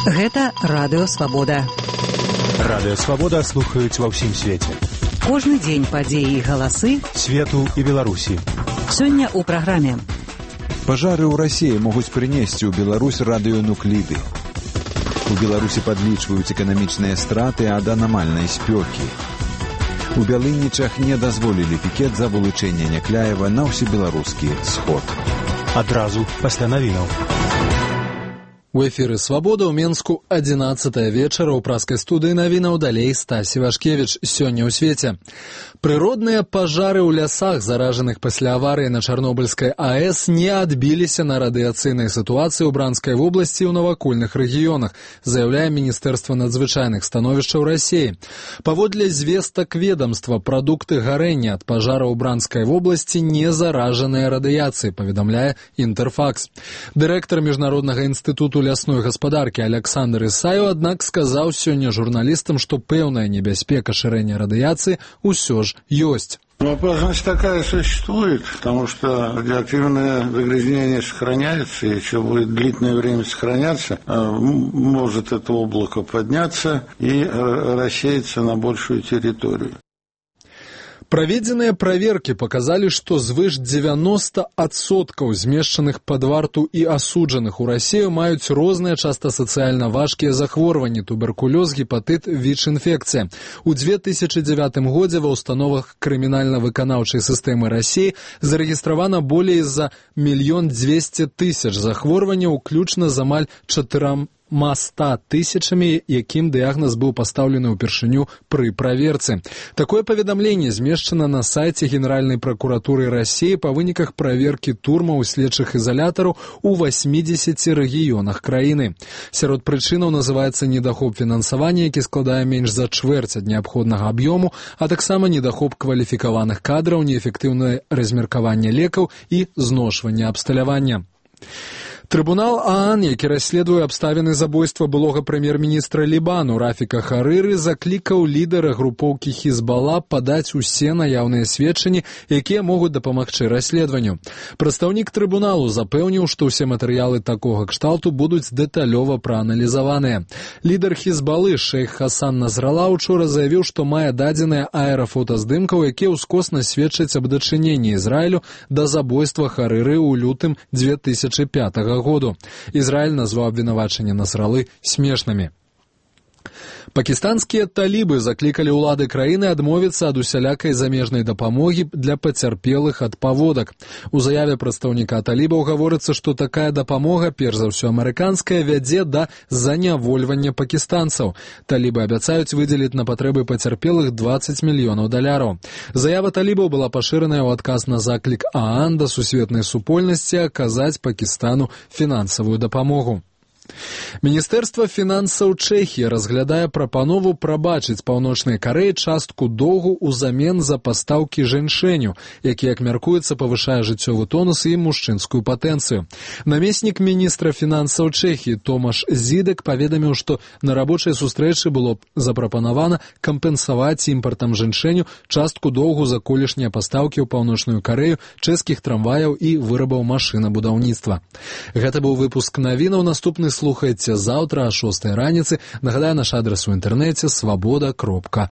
Гэта Радыё Свабода. Радыё Свабода слухаюць ва ўсім свеце. Кожны дзень падзеі і галасы свету і Беларусі. Сёння ў праграме. Пажары ў Расіі могуць прынесці ў Беларусь радыёнукліды. У Беларусі падлічваюць эканамічныя страты ад анамальнай спёкі. У Бялынічах не дазволілі пікет за вылучэнне Някляева на ўсебеларускі сход. Адразу пасля навінаў. У эфіры «Свабода» ў Менску 11 вечара ў праскай студыі навінаў далей Стасі Вашкевіч. Сёння ў свеце. Прыродныя пажары ў лясах, заражаных пасля аварыі на Чарнобыльскай АЭС, не адбіліся на радыяцыйнай сітуацыі ў Бранскай вобласці і ў навакольных рэгіёнах, заяўляе Міністэрства надзвычайных становішчаў Расіі. Паводле звестак ведамства, прадукты гарэння ад пажара ў Бранскай вобласці не заражаныя радыяцыяй, паведамляе Інтэрфакс. Дырэктар Міжнароднага інстытуту лясной гаспадаркі Александр Ісаеў, аднак, сказаў сёння журналістам, што пэўная небяспека шырэння радыяцыі ўсё ж ёсць. Опасность такая существует, потому что радиоактивное загрязнение сохраняется, и еще будет длительное время сохраняться, может это облако подняться и рассеяться на большую территорию. Праведзеныя праверкі паказалі, што звыш 90% змешчаных пад варту і асуджаных у Расію маюць розныя, часта сацыяльна важкія захворванні, туберкулёз, гепатыт, ВІЧ-інфекцыя. У 2009 годзе ва ўстановах крымінальна-выканаўчай сістэмы Расіі зарэгістравана болей за 1 200 000 захворванняў, уключна з амаль 400 000, якім дыягназ быў пастаўлены ўпершыню пры праверцы. Такое паведамленне змешчана на сайце Генеральнай пракуратуры Расіі па выніках праверкі турмаў і следчых ізалятараў у 80 рэгіёнах краіны. Сярод прычынаў называецца недахоп фінансавання, які складае менш за чвэрць ад неабходнага аб'ёму, а таксама недахоп кваліфікаваных кадраў, неэфектыўнае размеркаванне лекаў і зношванне абсталявання. Трыбунал ААН, які расследуе абставіны забойства былога прэм'ер-міністра Лібану Рафіка Харыры, заклікаў лідара групоўкі Хізбала падаць усе наяўныя сведчанні, якія могуць дапамагчы расследаванню. Прадстаўнік трыбуналу запэўніў, што ўсе матэрыялы такога кшталту будуць дэталёва прааналізаваныя. Лідар Хізбалы шэйх Хасан Назрала учора заявіў, што мае дадзеныя аэрафотаздымкаў, якія ўскосна сведчаць аб дачыненні Ізраілю да забойства Харыры ў лютым 2005 году. Ізраіль назваў абвінавачанні Насралы смешнымі. Пакістанскія талібы заклікалі ўлады краіны адмовіцца ад усялякай замежнай дапамогі для пацярпелых ад паводак. У заяве прадстаўніка талібаў гаворыцца, што такая дапамога, перш за ўсё амерыканская, вядзе да занявольвання пакістанцаў. Талібы абяцаюць выдзеліць на патрэбы пацярпелых $20 мільёнаў. Заява талібаў была пашыраная ў адказ на заклік ААН да сусветнай супольнасці аказаць Пакістану фінансавую дапамогу. Міністэрства фінансаў Чэхіі разглядае прапанову прабачыць Паўночнай Карэі частку доўгу ўзамен за пастаўкі жэньшэню, які, як мяркуецца, павышае жыццёвы тонус і мужчынскую патэнцыю. Намеснік міністра фінансаў Чэхіі Томаш Зідек паведаміў, што на рабочай сустрэчы было запрапанавана кампенсаваць імпартам жэньшэню частку доўгу за колішнія пастаўкі ў Паўночную Карэю чэшскіх трамваяў і вырабаў машынабудаўніцтва. Гэта быў выпуск навінаў. Наступны слухайце заўтра о 6 раніцы. Нагадаю, наш адрес у інтэрнэце свабода.орг.